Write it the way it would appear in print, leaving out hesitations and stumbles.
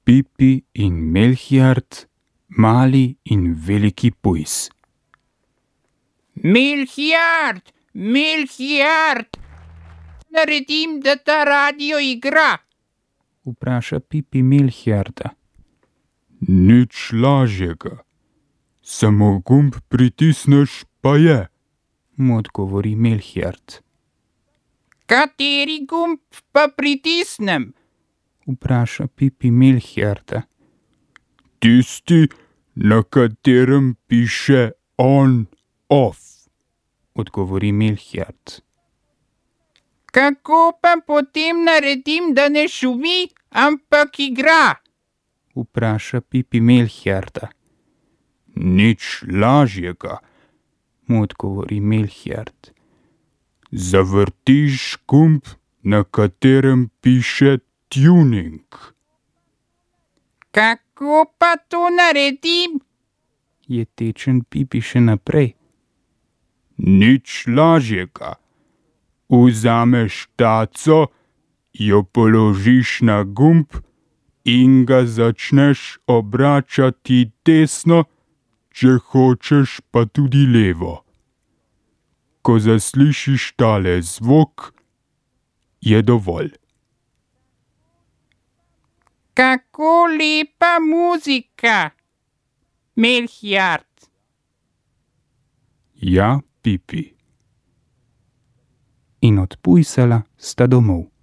Pipi in Melchiart, mali in veliki pujs. Melchiart, Melchiart, naredim, da ta radio igra. Vpraša Pipi Melchiarta. Nič lažjega. Samo gumb pritisneš, pa je. Mu odgovori Melchiart. Kateri gumb pa pritisnem? Vpraša Pipi Melchiarta. Tisti, na katerem piše on, off. Odgovori Melchiart. Kako pa potem naredim, da ne šumi, ampak igra? Vpraša Pipi Melchiarta. Nič lažjega. Mu odgovori Melchiart. Zavrtiš gumb, na katerem piše tuning. Kako pa to naredim? Je tečen Pipi še naprej. Nič lažjega. Vzameš taco, jo položiš na gumb in ga začneš obračati desno, če hočeš pa tudi levo. Ko zaslišiš tale zvok, je dovolj. Kako lepa muzika, Melchiart. Ja, Pipi. In odpujsala sta domov.